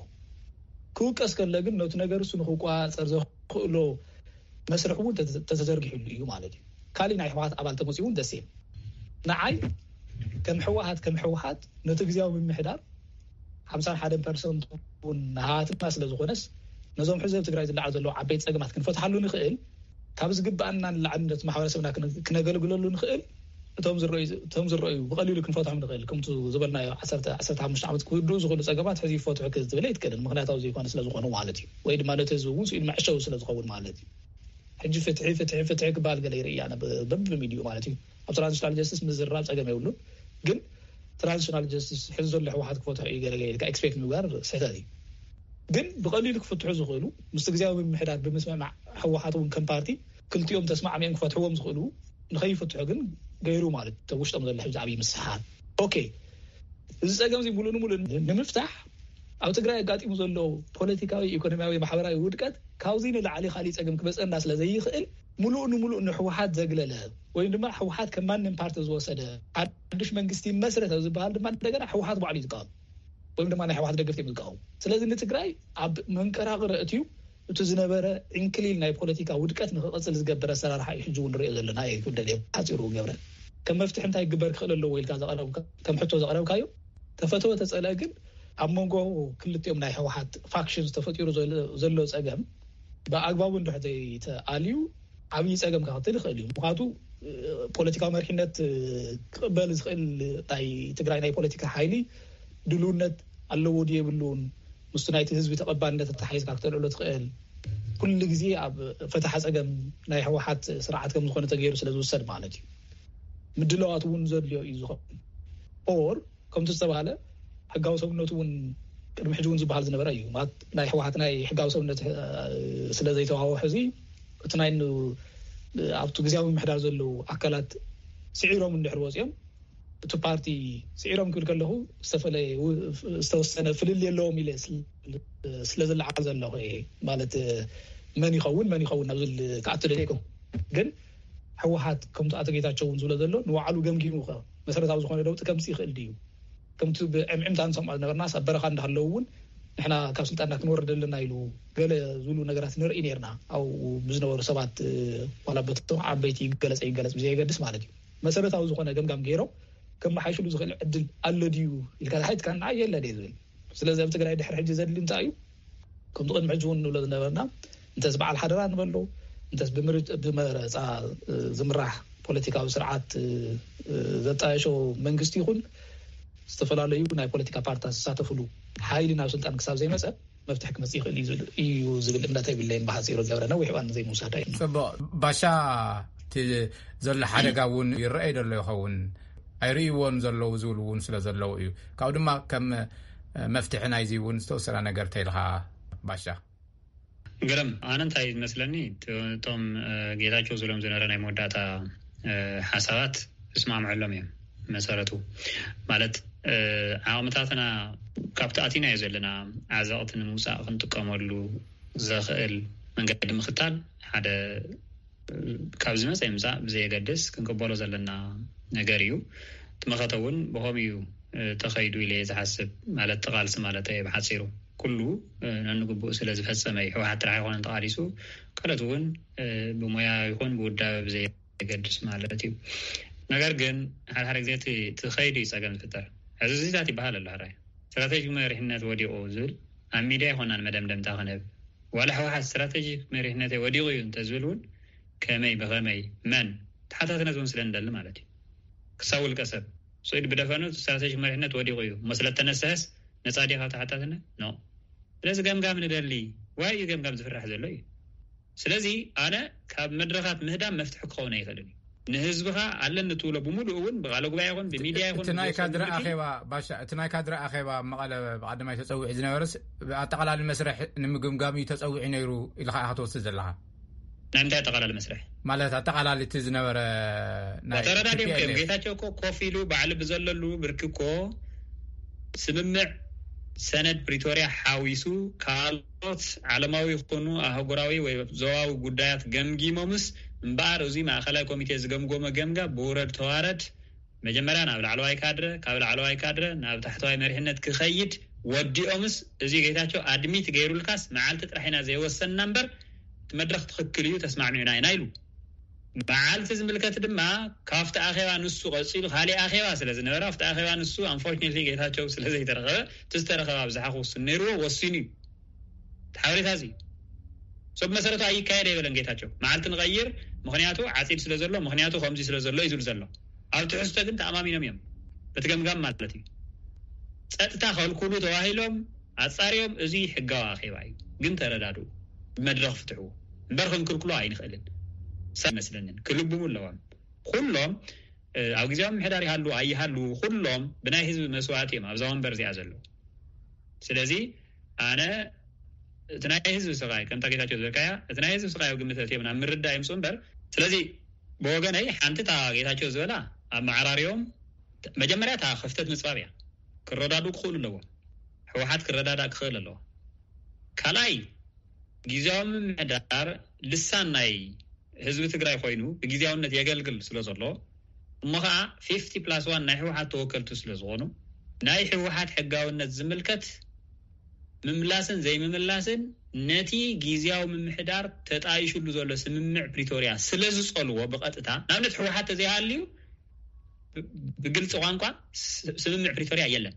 ክውቀስ ከለ ግን ነቲ ነገር እሱ ንክቋፀር ዘኽእሎ መስርሕ እውን ተተ- ተተዘርጊሕሉ እዩ ማለት እዩ። ካሊእ ናይ ህወሓት ኣባል ተመፂኡ እውን ደሴም። ንዓይ ከም ህወሓት ከም ህወሓት ነቲ ግዝያዊ ምምሕዳር ሓምሳን ሓደን ፐርሰንት እውን ናሃትና ስለ ዝኾነስ፣ ነዞም ሕዚ ኣብ ትግራይ ዝለዓሉ ዘለዉ ዓበይቲ ፀገማት ክንፈትሓሉ ንኽእል፣ ካብ ዝግባኣና ንላዕሊ ነቲ ማሕበረሰብና ክነ- ክነገልግለሉ ንኽእል፣ እቶም ዝረኣዩ እቶም ዝረኣዩ ብቐሊሉ ክንፈትሖም ንኽእል፣ ከምቲ ዝበልናዮ ዓሰርተ ዓሰርተ ሓሙሽተ ዓመት ክውድኡ ዝኽእሉ ፀገማት ሕዚ ይፈትሑ ክትብል ኣይትክእልን። ምኽንያታዊ ዘይኮነ ስለ ዝኾኑ ማለት እዩ። ወይ ድማ ነቲ ህዝቢ እውን ስኢሉ መዕሸዊ ስለ ዝኸውን ማለት እዩ። ሕጂ ፍትሒ ፍትሒ ፍትሒ ክበሃል ገለ ይርኢ እያ በብሚድዩ ማለት እዩ። ኣብ ትራንዚሽናል ጀስቲስ ምዝራብ ፀገም የብሉን። ግን ትራንዚሽናል ጀስቲስ ሕዚ ዘሎ ህወሓት ክፈትሖ እዩ ገለ ገለ ኢልካ ኤክስፔክት ምግባር ስሕተት እዩ። ግን ብቐሊሉ ክፍትሑ ዝኽእሉ፣ ምስቲ ግዝያዊ ምምሕዳር ብምስምማዕ፣ ህወሓት እውን ከም ፓርቲ ክልቲኦም ተስማዕሚኦም ክፈትሕዎም ዝኽእሉ፣ ንኸይፍትሑ ግን ገይሩ ማለት እቶም ውሽጦም ዘሎ ሕዚ ዓብዪ ምስሓር። ኦኬ፣ እዚ ፀገም እዚ ሙሉእ ንሙሉእ ንምፍታሕ ኣብ ትግራይ ኣጋጢሙ ዘሎ ፖለቲካዊ፣ ኢኮኖሚያዊ፣ ማሕበራዊ ውድቀት ካብዚ ንላዕሊ ካሊእ ፀገም ክመፀና ስለ ዘይኽእል፣ ሙሉእ ንሙሉእ ንህወሓት ዘግለለ ወይም ድማ ህወሓት ከም ማንም ፓርቲ ዝወሰደ ሓዱሽ መንግስቲ መስረት ኣብ ዝበሃል ድማ እንደገና ህወሓት ባዕሉ እዩ ዝቃወም። ወይም ድማ ናይ ህወሓት ደገፍቲ እዮም ዝቃወሙ። ስለዚ ንትግራይ ኣብ መንቀራቕረ እትዩ እቲ ዝነበረ ዕንክሊል ናይ ፖለቲካ ውድቀት ንክቐፅል ዝገብር ኣሰራርሓ እዩ ሕጂ እውን ንሪኦ ዘለና። ይጉደል እየ ሓፂሩ ገብረ፣ ከም መፍትሒ እንታይ ክግበር ክኽእል ኣለዎ ኢልካ ዘቐረብካ፣ ከም ሕቶ ዘቐረብካዮ፣ ተፈተወ ተፀልአ ግን ኣብ መንጎ ክልቲኦም ናይ ህወሓት ፋክሽንስ ተፈጢሩ ዘሎ- ዘሎ ፀገም ብኣግባቡ እንድሕር ዘይተኣልዩ ዓብዪ ፀገም ከኸትል ይኽእል እዩ። ምክንያቱ እ፣ ፖለቲካዊ መሪሕነት እ፣ ክቕበል ዝኽእል ናይ ትግራይ ናይ ፖለቲካ ሓይሊ ድልውነት ኣለዎ ድዩ የብሉን፣ ምስቲ ናይቲ ህዝቢ ተቐባልነት ኣተሓሒዝካ ክተልዕሎ ትኽእል፣ ኩሉ ግዜ ኣብ ፈታሓ ፀገም ናይ ህወሓት ስርዓት ከም ዝኾነ ተገይሩ ስለ ዝውሰድ ማለት እዩ። ምድላዋት እውን ዘድልዮ እዩ ዝኸውን። ኦር ከምቲ ዝተባሃለ ሕጋዊ ሰብነቱ እውን ቅድሚ ሕጂ እውን ዝበሃል ዝነበረ እዩ። ማለት ናይ ህወሓት ናይ ሕጋዊ ሰብነት እ፣ ስለ ዘይተዋወ ሕዚ እቲ ናይ ን- ኣብቲ ግዝያዊ ምምሕዳር ዘለዉ ኣካላት ስዒሮም እንድሕር ወፂኦም፣ እቲ ፓርቲ ስዒሮም ክብል ከለኹ ዝተፈለየ ው- ዝተወሰነ ፍልልይ ኣለዎም ኢለ ስለ- ስለ ዝለዓል ዘለኹ እየ። ማለት መን ይኸውን መን ይኸውን ናብ ዝብል ክኣቱ ደሊኩም። ግን ህወሓት ከምቲ ኣቶ ጌታቸው እውን ዝብሎ ዘሎ ንባዕሉ ገምጊሙ ከ መሰረታዊ ዝኾነ ለውጢ ከምፅእ ይኽእል ድዩ? ከምቲ ብዕምዕምታ ንሰምዖ ዝነበርናስ፣ ኣብ በረኻ እንዳሃለዉ እውን ንሕና ካብ ስልጣንና ክንወርድ ኣለና ኢሉ ገለ ዝብሉ ነገራት ንርኢ ነርና። ኣብኡ ብዝነበሩ ሰባት፣ እ፣ ዋላ በቶም ዓበይቲ ይገለጸ ይገለጽ ብዘየገድስ ማለት እዩ፣ መሰረታዊ ዝኾነ ገምጋም ገይሮም ከመሓይሽሉ ዝኽእል ዕድል ኣሎ ድዩ ኢልካ ተሓቲትካኒ፣ ንዓይ የለን እየ ዝብል። ስለዚ ኣብ ትግራይ ድሕሪ ሕጂ ዘድሊ እንታይ እዩ? ከምቲ ቅድሚ ሕጂ እውን ንብሎ ዝነበርና፣ እንተስ በዓል ሓደራ ንበሎ፣ እንተስ ብምርጭ-፣ ብመረፃ፣ እ፣ ዝምራሕ ፖለቲካዊ ስርዓት፣ እ፣ እ፣ ዘጣየሾ መንግስቲ ይኹን፣ ዝተፈላለዩ ናይ ፖለቲካ ፓርትታት ዝሳተፍሉ ሓይሊ ናብ ስልጣን ክሳብ ዘይመፀ፣ መፍትሒ ክመፅእ ይኽእል እዩ ዝብል፣ እዩ ዝብል እምነት የብለይን። ብሓፂሩ ገብረ፣ ነዊሕ እዋን ዘይምውሳድ እዩ። ጽቡቕ። ባሻ፣ እቲ ዘሎ ሓደጋ እውን ይረኣይ ዘሎ ይኸውን፣ ኣይርእይዎን ዘለዉ ዝብሉ እውን ስለ ዘለዉ እዩ። ካብኡ ድማ ከም፣ እ፣ መፍትሒ ናይዚ እውን ዝተወሰነ ነገር ተይልኻ፣ ባሻ። ግርም፣ ኣነ እንታይ ዝመስለኒ፣ እቶ-፣ እቶም፣ እ፣ ጌታቸው ዝብሎም ዝነበረ ናይ መወዳእታ፣ እ፣ ሓሳባት እስማምዐሎም እዮም። መሰረቱ ማለት፣ እ፣ ዓቕምታትና ካብቲ ኣቲናዮ ዘለና ዓዘቕቲ ንምውፃእ ክንጥቀመሉ ዘኽእል መንገዲ ምኽታል ሓደ፣ እ፣ ካብ ዝመፀ ይምፃእ ብዘየገድስ ክንቅበሎ ዘለና ነገር እዩ። እቲ መኸተ እውን ብኸምኡ እዩ፣ እ፣ ተኸይዱ ኢለ እየ ዝሓስብ። ማለት እቲ ቃልሲ ማለት እየ ብሓፂሩ። ኩሉ፣ እ፣ ነንግቡእ ስለ ዝፈጸመ እዩ። ህወሓት ጥራሕ ኣይኮነን ተቓሊሱ፣ ካልኦት እውን፣ እ፣ ብሞያ ይኹን ብውዳበ ብዘየገድስ ማለት እዩ። ነገር ግን ሓደ ሓደ ግዜ እቲ፣ እቲ ኸይዱ እዩ ጸገም ዝፍጠር። ሕዚ እዚታት ይበሃል ኣሎ። ሕራይ ስትራቴጂክ መሪሕነት ወዲቑ ዝብል ኣብ ሚድያ ኣይኮናን መደምደምታ ክንህብ። ዋላ ህወሓት ስትራቴጂክ መሪሕነተይ ወዲቑ እዩ እንተዝብል እውን ከመይ፣ ብኸመይ፣ መን፣ ተሓታትነት እውን ስለ ንደሊ ማለት እዩ። ክሳብ ውልቀ ሰብ ስኢድ ብደፈኑ ስትራቴጂክ መሪሕነት ወዲቑ እዩ እሞ ስለ እተነስሐስ ነጻ ድዩ ካብ ተሓታትነት? ኖ። ስለዚ ገምጋም ንደሊ። ዋይ እዩ ገምጋም ዝፍራሕ ዘሎ እዩ። ስለዚ ኣነ ካብ መድረኻት ምህዳም መፍትሒ ክኸውን ኣይኽእልን እዩ። ንህዝብኻ ኣለኒ ትብሎ ብምሉእ እውን ብቃለ ጉባኤ ይኹን ብሚድያ ይኹን እቲ ናይ ብዝወሰድ ካድረ ምርጫ ኣኼባ፣ ባሻ፣ እቲ ናይ ካድረ ኣኼባ መቐለ ብቐዳማይ ተጸዊዑ ዝነበረስ ብኣጠቓላሊ መስርሕ ንምግምጋም እዩ ተጸዊዑ ነይሩ ኢልካ ኢኻ ትወስድ ዘለኻ? ናይ ምንታይ ኣጠቓላሊ መስርሕ? ማለት ኣጠቓላሊ እቲ ዝነበረ ናይ ተረዳድዮም እዮም። ቲ ፒ ኤል ኤፍ። ጌታቸው እኮ ኮፍ ኢሉ ባዕሉ ብዘለሉ ብርኪ እኮ ስምምዕ ሰነድ ፕሪቶርያ ሓዊሱ ካልኦት ዓለማዊ ይኹኑ ኣህጉራዊ ወይ ዞባዊ ጉዳያት ገምጊሞምስ እምበኣር፣ እዚ ማእኸላይ ኮሚቴ ዝገምጎመ ገምጋም ብውረድ ተዋረድ መጀመርያ ናብ ላዕለዋይ ካድረ፣ ካብ ላዕለዋይ ካድረ ናብ ታሕተዋይ መሪሕነት ክኸይድ ወዲኦምስ፣ እዚ ጌታቸው ኣድሚት ገይሩልካስ መዓልቲ ጥራሕ ኢና ዘይወሰንና እምበር፣ እቲ መድረኽ ትኽክል እዩ፣ ተስማዕሚዕና ኢና ኢሉ። መዓልቲ ዝምልከት ድማ ካብቲ ኣኼባ ንሱ ቀጺሉ፣ ካሊእ ኣኼባ ስለ ዝነበረ፣ ኣብቲ ኣኼባ ንሱ፣ ኣንፎርችኔትሊ፣ ጌታቸው ስለ ዘይተረኸበ፣ እቲ ዝተረኸበ ኣብዝሓ ክውስን ነይርዎ፣ ወሲኑ እዩ። እቲ ሓበሬታ እዚ ሰብ መሰረቱ ኣይካየድ ኣይበለን ጌታቸው። መዓልቲ ንቐይር፣ ምኽንያቱ ዓጺድ ስለ ዘሎ፣ ምኽንያቱ ከምዚ ስለ ዘሎ እዩ ዝብል ዘሎ። ኣብ ትሕዝቶ ግን ተኣማሚኖም እዮም። በቲ ገምጋም ማለት እዩ። ጸጥታ ከልኩሉ ተባሂሎም ኣጻርዮም፣ እዚ ሕጋዊ ኣኼባ እዩ። ግን ተረዳድኡ፣ ብመድረኽ ፍትሕዎ። እምበር ክንክልክሎ ኣይንኽእልን። ሰብ ይመስለንን። ክልብሙ ኣለዎም። ኩሎም፣ እ፣ ኣብ ግዜያዊ ምምሕዳር ይሃሉ ኣይሃሉ፣ ኩሎም ብናይ ህዝቢ መስዋእቲ እዮም ኣብዛ ወንበር እዚኣ ዘለዉ። ስለዚ ኣነ እቲ ናይ ህዝቢ ስቓይ፣ ከምታ ጌታቸው ዝበልካያ፣ እቲ ናይ ህዝቢ ስቓይ ኣብ ግምት ኣእትዮም ናብ ምርዳእ ይምፅኡ እምበር። ስለዚ ብወገነይ ሓንቲ እታ ጌታቸው ዝበላ ኣብ መዓራርዮም መጀመርያ እታ ክፍተት ምፅባብ እያ። ክረዳዱ ክኽእሉ ኣለዎም። ህወሓት ክረዳዳእ ክኽእል ኣለዎ። ካልኣይ፣ ግዜያዊ ምምሕዳር ልሳን ናይ ህዝቢ ትግራይ ኮይኑ ብግዜያውነት የገልግል ስለ ዘሎ፣ እሞ ኸዓ ፊፍቲ ፕላስ ዋን ናይ ህወሓት ተወከልቲ ስለ ዝኾኑ፣ ናይ ህወሓት ሕጋውነት ዝምልከት ምምላስን ዘይምምላስን ነቲ ግዜያዊ ምምሕዳር ተጣይሹሉ ዘሎ ስምምዕ ፕሪቶርያ ስለ ዝጸልዎ ብቐጥታ፣ ንኣብነት ህወሓት ተዘይሃልዩ ብ-፣ ብግልፂ ቋንቋ ስ-፣ ስምምዕ ፕሪቶርያ የለን።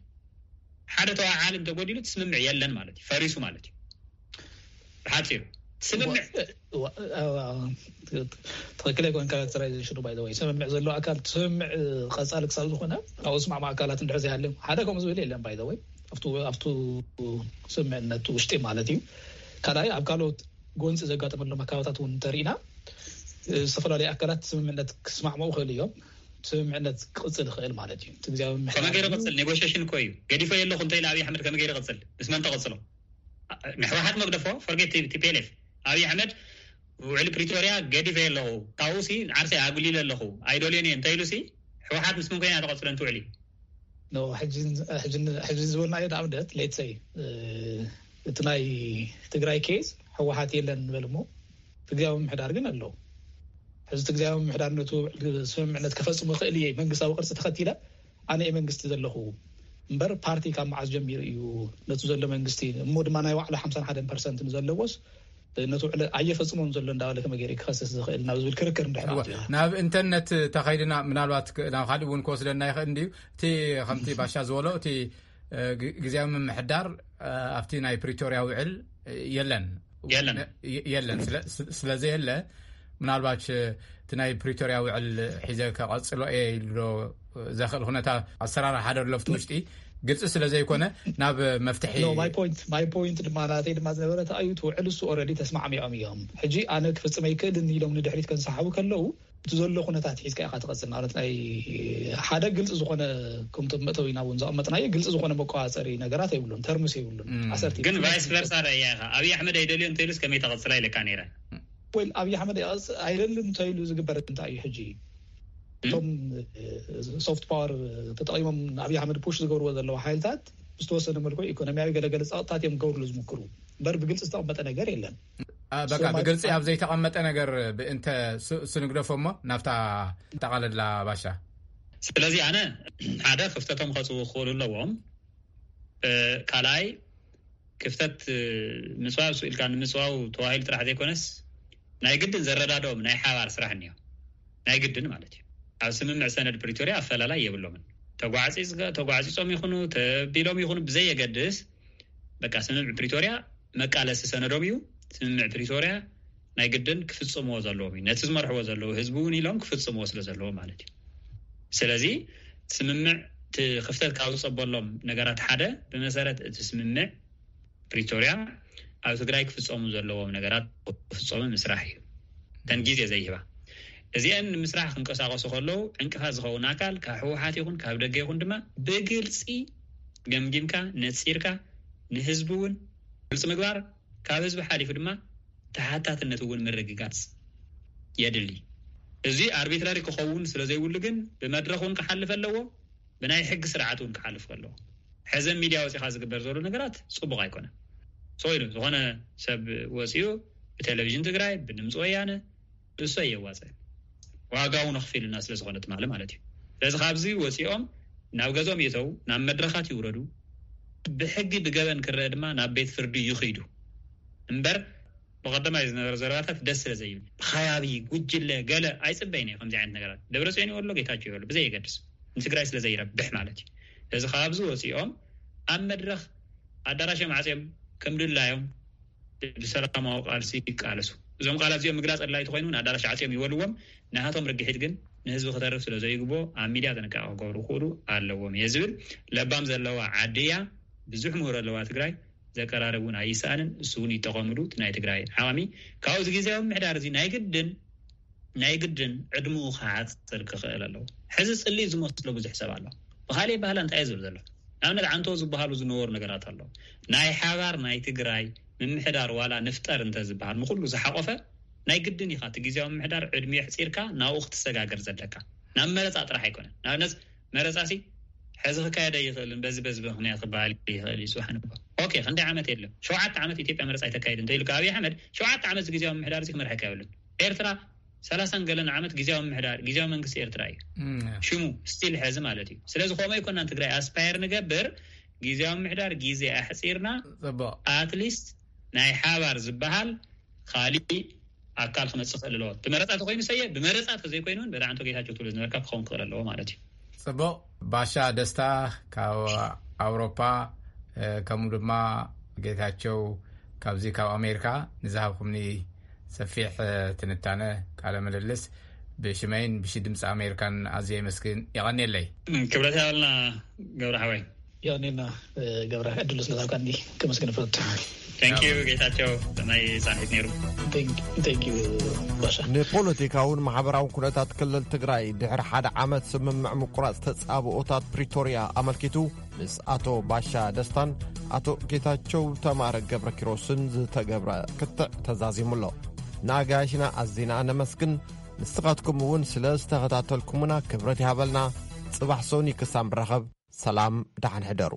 ሓደ ተዋዓሊ እንተጎዲሉ እቲ ስምምዕ የለን ማለት እዩ፣ ፈሪሱ ማለት እዩ። ብሓፂሩ ስምምዕ ዋ-፣ ዋ-፣ ትኽክል ኣይኮን ካራክተራይዜሽኑ። ባይ ዘ ወይ ስምምዕ ዘሎ ኣካል እቲ ስምምዕ ቀፃሊ ክሳብ ዝኾነ ኣብኡ ዝስማዕማ ኣካላት እንድሕር ዘይሃልዮም ሓደ ከምኡ ዝብል የለን። ባይ ዘ ወይ ኣብቱ፣ ኣብቱ ስምምዕነት ውሽጢ ማለት እዩ። ካልኣይ ኣብ ካልኦት ጎንፂ ዘጋጠመሎም ኣካባታት እውን እንተሪኢና ዝተፈላለዩ ኣካላት ስምምዕነት ክስማዕምዑ ይኽእሉ እዮም። ስምምዕነት ክቕፅል ይኽእል ማለት እዩ። እቲ ግዜያዊ ምምሕዳር ከመይ ገይሩ እዩ። ይቕፅል? ኔጎሽሽን እኮ እዩ። ገዲፈ የለኹ እንተኢለ ኣብይ ኣሕመድ ከመይ ገይሩ ይቕፅል? ምስ መን ተቐፅሎ? ንሕወሓት መግደፎ፣ ፎርጌት ቲ ፒ ኤል ኤፍ። ኣብይ ኣሕመድ ውዕሊ ፕሪቶርያ ገዲፈ የለኹ፣ ካብኡ ሲ ዓርሰይ ኣጉሊለ ኣለኹ፣ ኣይደልዮን እየ እንተኢሉ ሲ፣ ሕወሓት ምስ መን ኮይና ተቐፅሎ ነቲ ውዕሊ? ኖ፣ ሕጂ፣ ሕጂ፣ ሕጂ ዝበልናዮ ንኣብነት፣ ሌትስ ሰይ፣ እ፣ እቲ ናይ ትግራይ ኬዝ ህወሓት የለን ንበል እሞ፣ እቲ ግዜያዊ ምምሕዳር ግን ኣሎ። ሕዚ እቲ ግዜያዊ ምምሕዳር ነቱ ስምምዕነት ከፈጽሞ ይኽእል እየ፣ መንግስታዊ ቅርጺ ተኸቲለ ኣነ እየ መንግስቲ ዘለኹ፣ እምበር፣ ፓርቲ ካብ መዓስ ጀሚሩ እዩ ነቲ ዘሎ መንግስቲ፣ እሞ ድማ ናይ ባዕሉ ሓምሳን ሓደን ፐርሰንት ንዘለዎስ ነቲ ውዕል ኣየፈጽሞን ዘሎ እንዳበለ ከመይ ገይሩ ክኸስስ ዝኽእል ናብ ዝብል ክርክር እንድሕር እወ፣ ኣትዩ? ናብ ኢንተርነት ተኸይድና፣ ምናልባት ክ- ናብ ካልእ እውን ክወስደና ይኽእል እንድዩ። እቲ ከምቲ ባሻ ዝበሎ፣ እቲ እ፣ ግ- ግዜያዊ ምምሕዳር እ፣ ኣብቲ ናይ ፕሪቶርያ ውዕል እ፣ የለን። የለን። ነ- የ- የለን። ስለ- ስ- ስለዘየለ፣ ምናልባት እ፣ እቲ ናይ ፕሪቶርያ ውዕል ሒዘ ከቐጽሎ እየ ኢሉ ዶ ዘኽእል ኩነታ ኣሰራርሓ ዶ ኣሎ ኣብቲ ውሽጢ ግልፂ ስለዘይኮነ፣ ናብ መፍትሒ No, my point, my point ድማ ናተይ ድማ ዝነበረ እንታይ እዩ፣ እቲ ውዕል እሱ ኦልሬዲ ተስማዕሚዖም እዮም። ሕጂ ኣነ ክፍጽም ኣይክእልን ኢሎም ንድሕሪት ከንሰሓቡ ከለዉ፣ እቲ ዘሎ ኩነታት ሒዝካ ኢኻ ትቐጽል። ማለት ናይ ሓደ ግልፂ ዝኾነ፣ ከምቶም መእተዊና እውን ዘቐመጥናዮ፣ ግልፂ ዝኾነ መቆፃፀሪ ነገራት የብሉን፣ ተርምስ የብሉን። ኣሰርቲቭ ግን ቫይስ ቨርሳ ረእያ ኢኻ። ኣብይ ኣሕመድ ኣይደልዮ እንተኢሉስ ከመይ ተቐጽላ ኢለካ ነይረ። ወይ ኣብይ ኣሕመድ ኣይደልን እንተኢሉ ዝግበር እንታይ እዩ? ሕጂ እቶም ሶፍት ፓወር ተጠቒሞም ኣብይ ኣሕመድ ፑሽ ዝገብርዎ ዘለዉ ሓይልታት፣ ዝተወሰነ መልክዑ ኢኮኖሚያዊ ገለገለ ፃውጥታት እዮም ክገብርሉ ዝምክሩ። እምበር ብግልፂ ዝተቐመጠ ነገር የለን። ኣ፣ በቃ ብግልፂ ኣብ ዘይተቐመጠ ነገር ብእንተ ስ- ስንግደፎ እሞ፣ ናብታ ጠቓለላ ባሻ። ስለዚ ኣነ ሓደ ክፍተቶም ከፅቡ ክኽእሉ ኣለዎም። እ፣ ካልኣይ ክፍተት እ፣ ምፅባብ ስኢልካ ንምፅባው ተዋሂሉ ጥራሕ ዘይኮነስ፣ ናይ ግድን ዘረዳድኦም ናይ ሓባር ስራሕ እኒኦ። ናይ ግድን ማለት እዩ። ኣብ ስምምዕ ሰነድ ፕሪቶርያ ኣፈላላይ የብሎምን። ተጓዕፂ- ተጓዕፂፆም ይኹኑ ተቢሎም ይኹኑ ብዘየገድስ፣ በቃ ስምምዕ ፕሪቶርያ መቃለሲ ሰነዶም እዩ። ስምምዕ ፕሪቶርያ ናይ ግድን ክፍፅምዎ ዘለዎም እዩ። ነቲ ዝመርሕዎ ዘለዉ ህዝቢ እውን ኢሎም ክፍፅምዎ ስለ ዘለዎም ማለት እዩ። ስለዚ ስምምዕ እቲ ክፍተት ካብ ዝፀበሎም ነገራት ሓደ፣ ብመሰረት እቲ ስምምዕ ፕሪቶርያ ኣብ ትግራይ ክፍፀሙ ዘለዎም ነገራት ክፍፀሙ ምስራሕ እዩ። እተን ግዜ ዘይህባ፣ እዚአን ንምስራሕ ክንቀሳቀሱ ከለዉ ዕንቅፋት ዝኸውን ኣካል ካብ ህወሓት ይኹን ካብ ደገ ይኹን ድማ ብግልፂ ገምጊምካ ነፂርካ ንህዝቢ እውን ግልፂ ምግባር፣ ካብ ህዝቢ ሓሊፉ ድማ ተሓታትነት እውን ምርግጋፅ የድሊ። እዚ ኣርቢትራሪ ክኸውን ስለ ዘይብሉ ግን ብመድረኽ እውን ክሓልፍ ኣለዎ፣ ብናይ ሕጊ ስርዓት እውን ክሓልፍ ኣለዎ። ሕዘ ሚድያ ወፂኻ ዝግበር ዘሎ ነገራት ፅቡቕ ኣይኮነን። ሰው ኢሉ ዝኾነ ሰብ ወፂኡ ብቴሌቪዥን ትግራይ፣ ብድምፂ ወያነ፣ እሱ ኣየዋፅእን። ዋጋ እውን ኣኽፊሉና ስለ ዝኾነ ትማሊ ማለት እዩ። ስለዚ ካብዚ ወፂኦም ናብ ገዞም ይእተው፣ ናብ መድረኻት ይውረዱ፣ ብሕጊ ብገበን ክረአ ድማ ናብ ቤት ፍርዲ ይኽይዱ እምበር፣ ብቐደማይ ዝነበረ ዘረባታት ደስ ስለ ዘይብል፣ ብኸባቢ ጉጅለ ገለ ኣይፅበይን እየ። ከምዚ ዓይነት ነገራት ደብረፅዮን ይበሎ ጌታቸው ይበሎ ብዘየገድስ ንትግራይ ስለ ዘይረብሕ ማለት እዩ። ስለዚ ካብዚ ወፂኦም ኣብ መድረኽ ኣዳራሾም ዓፅዮም ከም ድላዮም ብሰላማዊ ቃልሲ ይቃለሱ። እዞም ቃላት እዚኦም ምግላፅ ኣድላይ ተኮይኑ እውን ኣዳራሽ ዓፅዮም ይበልዎም። ናሃቶም ርግሒት ግን ንህዝቢ ክተርፍ ስለ ዘይግቦ ኣብ ሚድያ ጥንቃቄ ክገብሩ ክኽእሉ ኣለዎም እየ ዝብል። ለባም ዘለዋ ዓዲ እያ። ብዙሕ ምሁር ኣለዋ ትግራይ። ዘቀራርብ እውን ኣይሰኣንን። እሱ እውን ይጠቐምሉ እቲ ናይ ትግራይ ዓማሚ። ካብኡ እዚ ግዜያዊ ምምሕዳር እዚ ናይ ግድን ናይ ግድን ዕድምኡ ክሓፅር ክኽእል ኣለዎ። ሕዚ ፅልኢ ዝመስሎ ብዙሕ ሰብ ኣሎ። ብካሊእ ባህላ እንታይ እዩ ዝብል ዘሎ? ንኣብነት ዓንቶ ዝበሃሉ ዝነበሩ ነገራት ኣሎ። ናይ ሓባር ናይ ትግራይ ምምሕዳር ዋላ ንፍጠር እንተ ዝበሃል ንኩሉ ዝሓቆፈ ናይ ግድን ኢኻ እቲ ግዜያዊ ምምሕዳር ዕድሚኡ ኣሕፂርካ ናብኡ ክትሰጋገር ዘለካ። ናብ መረፃ ጥራሕ ኣይኮነን። ንኣብነት መረፃ ሲ ሕዚ ክካየድ ኣይኽእልን፣ በዚ በዚ ምኽንያት ክበሃል ይኽእል እዩ። ጽባሕ ንግሆ ኦኬ ክንደይ ዓመት የለን፣ ሸውዓተ ዓመት ኢትዮጵያ መረፃ ኣይተካይድ እንተኢልካ ኣብይ ኣሕመድ ሸውዓተ ዓመት እዚ ግዜያዊ ምምሕዳር እዚ ክመርሐካ የብሉን። ኤርትራ ሰላሳን ገለን ዓመት ግዜያዊ ምምሕዳር ግዜያዊ መንግስቲ ኤርትራ እዩ። ሽሙ ስቲል ሕዚ ማለት እዩ። ስለዚ ከምኡ ኣይኮናን ትግራይ ኣስፓየር ንገብር፣ ግዜያዊ ምምሕዳር ግዜ ኣሕፂርና ፅቡቅ ኣትሊስት ናይ ሓባር ዝበሃል ካሊእ ኣካል ክመፅእ ክእል ኣለዎ። ብመረፃ ተኮይኑ ሰየ ብመረፃ ተዘይኮይኑ እውን በዳዕንቶ ጌታቸው ትብሎ ዝነበርካ ክኸውን ክእል ኣለዎ ማለት እዩ። ፅቡቅ። ባሻ ደስታ ካብ ኣውሮፓ፣ ከምኡ ድማ ጌታቸው ካብዚ ካብ ኣሜሪካ ንዝሃብኩምኒ ሰፊሕ ትንታነ፣ ቃለ ምልልስ ብሽመይን ብሽ ድምፂ ኣሜሪካን ኣዝየ የመስግን። የቐንየለይ። ክብረት ያበልና ገብረ ሓወይ። የቐንየልና ገብረ፣ ዕድሉ ስለዝሃብካኒ ከመስግን እፈቱ። Thank you ጌታቸው ሰናይ ፃንሒት ነይሩ። Thank you ባሻ። ንፖለቲካውን ማሕበራውን ኩነታት ክልል ትግራይ ድሕሪ ሓደ ዓመት ስምምዕ ምቁራፅ ተፃብኦታት ፕሪቶርያ ኣመልኪቱ ምስ ኣቶ ባሻ ደስታን ኣቶ ጌታቸው ተማረ ገብረ ኪሮስን ዝተገብረ ክትዕ ተዛዚሙ ኣሎ። ንኣጋያሽና ኣዚና ነመስግን። ንስኻትኩም እውን ስለ ዝተኸታተልኩምና ክብረት ይሃበልና። ፅባሕ ሶኒ ክሳብ ንራኸብ ሰላም ደሓን ሕደሩ።